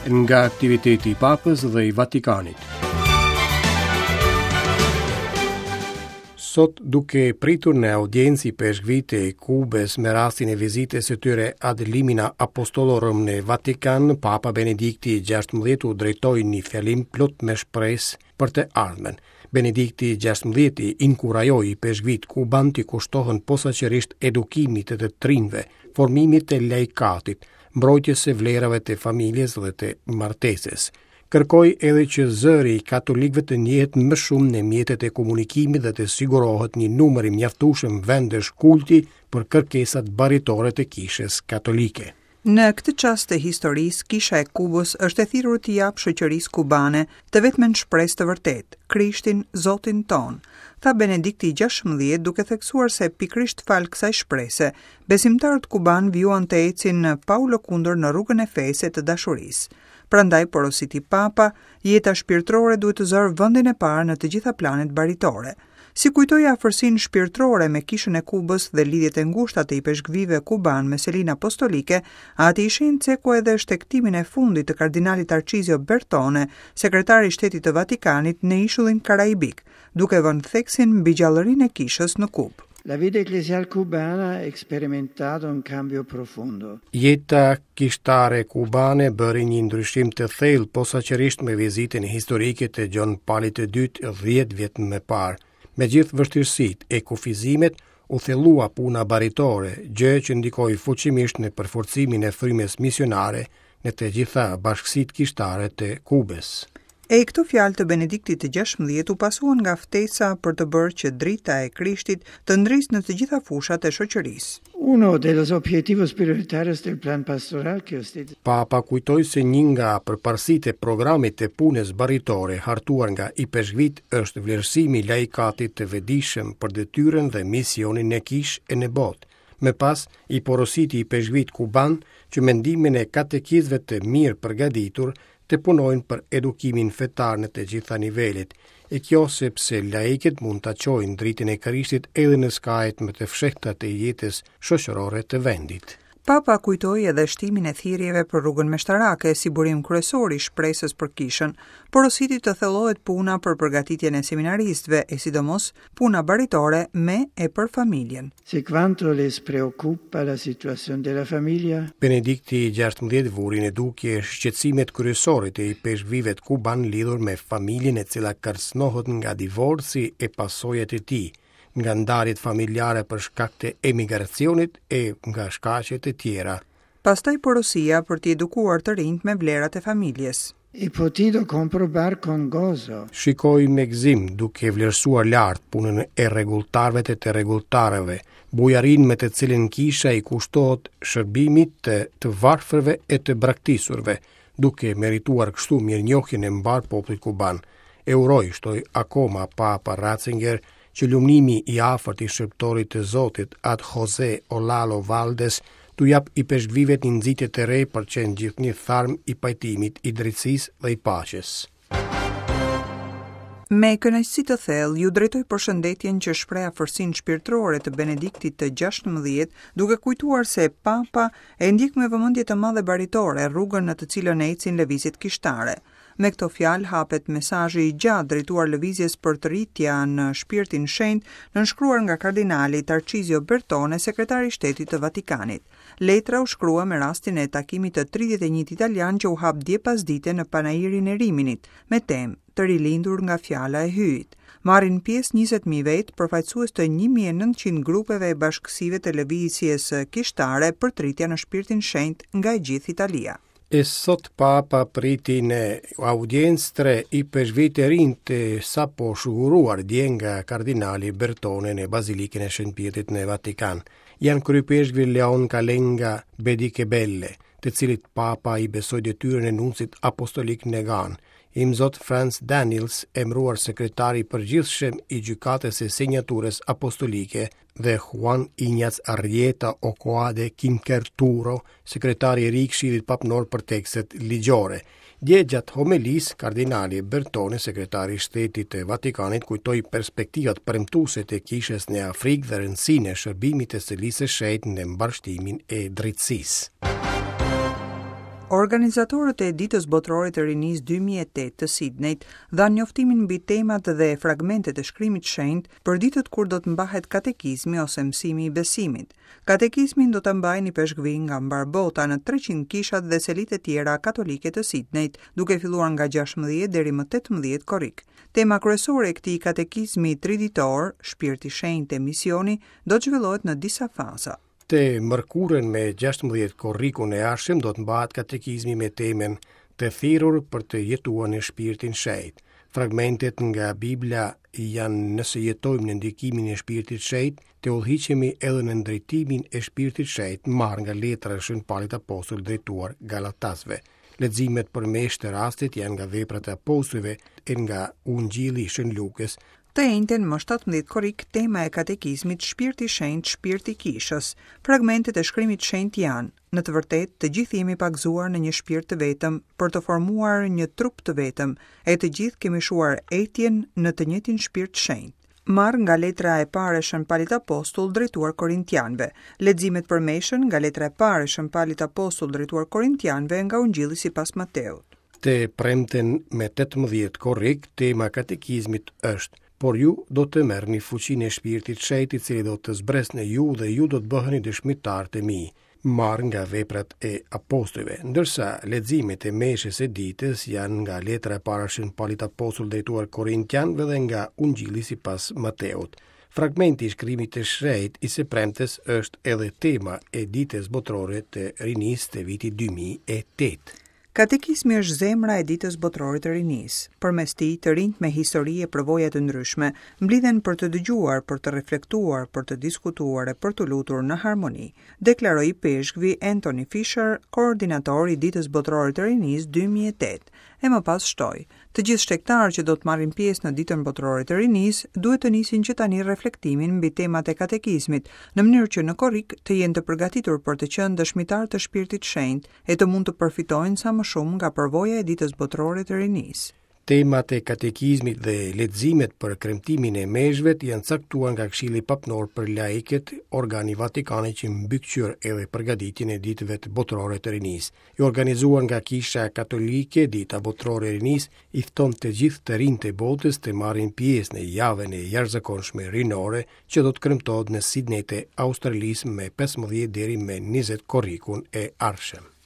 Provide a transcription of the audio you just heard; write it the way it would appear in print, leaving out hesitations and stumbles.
Nga aktiviteti i Papës dhe i Vatikanit. Sot duke pritur në audiencë ipeshkvijtë e Kubës me rastin e vizitës së tyre ad limina apostolorum në Vatikan, Papa Benedikti XVI u drejtoi një fjalim plot me shpresë për të ardhmen. Benedikti XVI inkurajoi ipeshkvijtë kubanë t'i kushtohen posaçërisht edukimit të të rinjve, formimit të laikatit, mbrojtjes së vlerave të familjes dhe të martesës. Kërkoi edhe që zëri i katolikëve të njihet më shumë në mjetet e komunikimit dhe të sigurohet një numër i mjaftueshëm vendesh kulti për kërkesat baritore të Kishës Katolike. Në këtë çast të historisë, Kisha e Kubës është e thirrur t'i japë shoqërisë kubane të vetmen shpresë të vërtetë, Krishtin, Zotin tonë, tha Benedikti i XVI duke theksuar se pikërisht falë kësaj shprese, besimtarët kubanë vijuan të ecin pa u lëkundur në rrugën e fesë e të dashurisë. Prandaj, porositi Papa, jeta shpirtërore duhet të zërë vendin e parë në të gjitha planet baritore. Si kujtoi afërsinë shpirtërore me Kishën e Kubës dhe lidhjet e ngushta të ipeshkvijve kubanë me Selinë Apostolike, Ati i Shenjtë ceku edhe shtegtimin e fundit të kardinalit Tarçizio Bertone, sekretar i Shtetit të Vatikanit në ishullin Karaibik, duke vënë theksin mbi gjallërinë e Kishës në Kubë. La vita ecclesial cubana ha experimentato un cambio profondo. Jeta kishtare kubane bëri një ndryshim të thellë posaçërisht me vizitën historike të Gjon Palit të Dytë 10 vjet më parë. Me gjithë vështirësitë e kufizimet, u thellua puna baritore, gjë që ndikoi fuqimisht në përforcimin e frymës misionare në të gjitha bashkësitë kishtare të Kubës. E këto fjalë të Benediktit të XVI u pasuan nga ftesa për të bërë që drita e Krishtit të ndrisë në të gjitha fushat e shoqërisë. Uno de los objetivos prioritarios del plan pastoral que usted Papa kujtoi se një nga përparësitë e programit të punës baritore hartuar nga ipeshkvijtë është vlerësimi i laikatit të vetëdijshëm për detyrën dhe misionin në kishë e në botë. Më pas, i porositi ipeshkvijtë kubanë që me ndihmën e katekistëve të mirë përgatitur të punojnë për edukimin fetar në të gjitha nivelet, e kjo sepse laikët mund ta çojnë dritën e Krishtit edhe në skajet më të fshehta të jetës shoqërore të vendit. Papa kujtoi edhe shtimin e thirrjeve për rrugën meshtarake si burim kryesor i shpresës për kishën, porositi të thellohet puna për përgatitjen e seminaristëve e sidomos puna baritore me e për familjen. Se quanto les preoccupa la situazione della famiglia? Benedikti XVI vuri në dukje shqetësimet kryesore të ipeshkvijve kubanë lidhur me familjen e cila kërcënohet nga divorci e pasojat e tij, nga ndarjet familjare për shkak të emigracionit e nga shkaqe të tjera. Pastaj porosia për t'i edukuar të rinjtë me vlerat e familjes. He potuto comprobar con gozo. Shikoj me gëzim, duke vlerësuar lart punën e rregulltarëve e të rregulltareve, bujarinë me të cilën kisha i kushtohet shërbimit të të varfërve e të braktisurve, duke merituar kështu mirënjohjen e mbarë popullit kuban. E uroj, shtoi akoma Papa Ratzinger, që lumnimi i afërt i shërbëtorit të Zotit, At Jose Olalo Valdes, t'u japë ipeshkvijve një nxitje të re për të qenë gjithnjë tharm i pajtimit, i drejtësisë dhe i paqes. Me kënaqësi të thellë ju drejtoj përshëndetjen që shpreh afërsinë shpirtërore të Benediktit të XVI, duke kujtuar se Papa e ndjek me vëmendje të madhe baritore rrugën në të cilën ecin lëvizjet kishtare. Me këto fjalë hapet mesazhi i gjatë drejtuar lëvizjes Përtëritja në Shpirtin Shenjt, nënshkruar nga kardinali Tarçizio Bertone, sekretar i Shtetit të Vatikanit. Letra u shkrua me rastin e takimit të 31 italian që u hap dje pasdite në Panairin e Riminit, me temë Të rilindur nga fjala e Hyjit. Marrin pjesë 20.000 vetë, përfaqësues të 1900 grupeve e bashkësive të lëvizjes kishtare Përtëritja në Shpirtin Shenjt nga e gjithë Italia. E sot Papa priti në audiencë tre ipeshkvijtë e rinj të sapo shuguruar dje nga kardinali Bertone në Bazilikën e Shën Pjetrit në Vatikan. Janë kryeipeshkvi Leon Kalenga Bedikebelle, të cilit Papa i besoi detyrën e nuncit apostolik në Ganë, Imzot Franz Daniels, emëruar sekretar i përgjithshëm i Gjykatës së Sinjaturës Apostolike dhe Juan Ignaz Arrieta Ochoa de Quinquerturo, sekretari i ri i Këshillit Papnor për tekstet ligjore. Dje gjatë homelisë, kardinali Bertone, sekretari i Shtetit të Vatikanit, kujtoi perspektivat premtuese të kishës në Afrikë dhe rëndësinë e shërbimit të Selisë së Shenjtë në mbarështimin e drejtësisë. Organizatorët e Ditës Botërore të Rinisë 2008 të Sidnejt dhanë njoftimin mbi temat dhe fragmentet e shkrimit të shenjtë për ditët kur do të mbahet katekizmi ose mësimi i besimit. Katekizmin do ta mbajnë ipeshkvij nga mbarë bota në 300 kishat dhe selitë e tjera katolike të Sidnejt, duke filluar nga 16 deri më 18 korrik. Tema kryesore e këtij katekizmi triditor, Shpirti i Shenjtë e Misioni, do të zhvillohet në disa faza. Të mërkurën me 16 korrikun e ardhshëm do të mbahet katekizmi me temën Të thirrur për të jetuar në Shpirtin Shenjt. Fragmentet nga Bibla janë nëse jetojmë në ndikimin e Shpirtit Shenjt, të udhëhiqemi edhe në drejtimin e Shpirtit Shenjt, marrë nga letra e Shën Palit Apostull drejtuar Galatasve. Leximet për meshë të rastit janë nga Veprat e Apostujve e nga Ungjilli i Shën Lukës. Të enjten, më 17 korrik, tema e katekizmit Shpirti i Shenjtë, Shpirti i Kishës. Fragmentet e shkrimit të shenjtë janë, Në të vërtetë, të gjithë jemi pagëzuar në një shpirt të vetëm për të formuar një trup të vetëm, e të gjithë kemi shuar etjen në të njëjtin shpirt të shenjtë. Marrë nga letra e parë e Shën Palit Apostull drejtuar Korintianëve. Leximet për meshën nga letra e parë e Shën Palit Apostull drejtuar Korintianëve nga Ungjilli sipas Mateut. Të premten me 18 korrik, tema e katekizmit është Por ju do të merrni fuqinë e Shpirtit të Shenjtë i cili do të zbresë në ju dhe ju do të bëheni dëshmitarë të mi. Marrë nga Veprat e Apostujve, ndërsa leximet e meshës së ditës janë nga letra e parë e Shën Palit Apostull drejtuar Korintianëve dhe nga Ungjilli sipas Mateut. Fragmenti i shkrimit të shenjtë i së premtes është edhe tema e Ditës Botërore të Rinisë të vitit 2008. Katekizmi është zemra e Ditës Botërore të Rinisë. Përmes tij, të rinjtë me histori e përvoja të ndryshme mblidhen për të dëgjuar, për të reflektuar, për të diskutuar e për t'u lutur në harmoni, deklaroi ipeshkvi Anthony Fisher, koordinator i Ditës Botërore të Rinisë 2008, e më pas shtoi, Të gjithë shtegtarët që do të marrin pjesë në Ditën Botërore të Rinisë duhet të nisin që tani reflektimin mbi temat e katekizmit, në mënyrë që në korrik të jenë të përgatitur për të qenë dëshmitarë të Shpirtit të Shenjtë e të mund të përfitojnë sa më shumë nga përvoja e Ditës Botërore të Rinisë. Temat e katekizmit dhe leximet për kremtimin e meshëve janë caktuar nga Këshilli Papnor për Laikët, organi i Vatikanit që mbikëqyr edhe përgatitjen e Ditëve Botërore të Rinisë. E organizuar nga Kisha Katolike, Dita Botërore e Rinisë i fton të gjithë të rinjtë e botës të marrin pjesë në javën e jashtëzakonshme rinore që do të kremtohet në Sidney të Australisë me 15 deri me 20 korrikun e ardhshëm.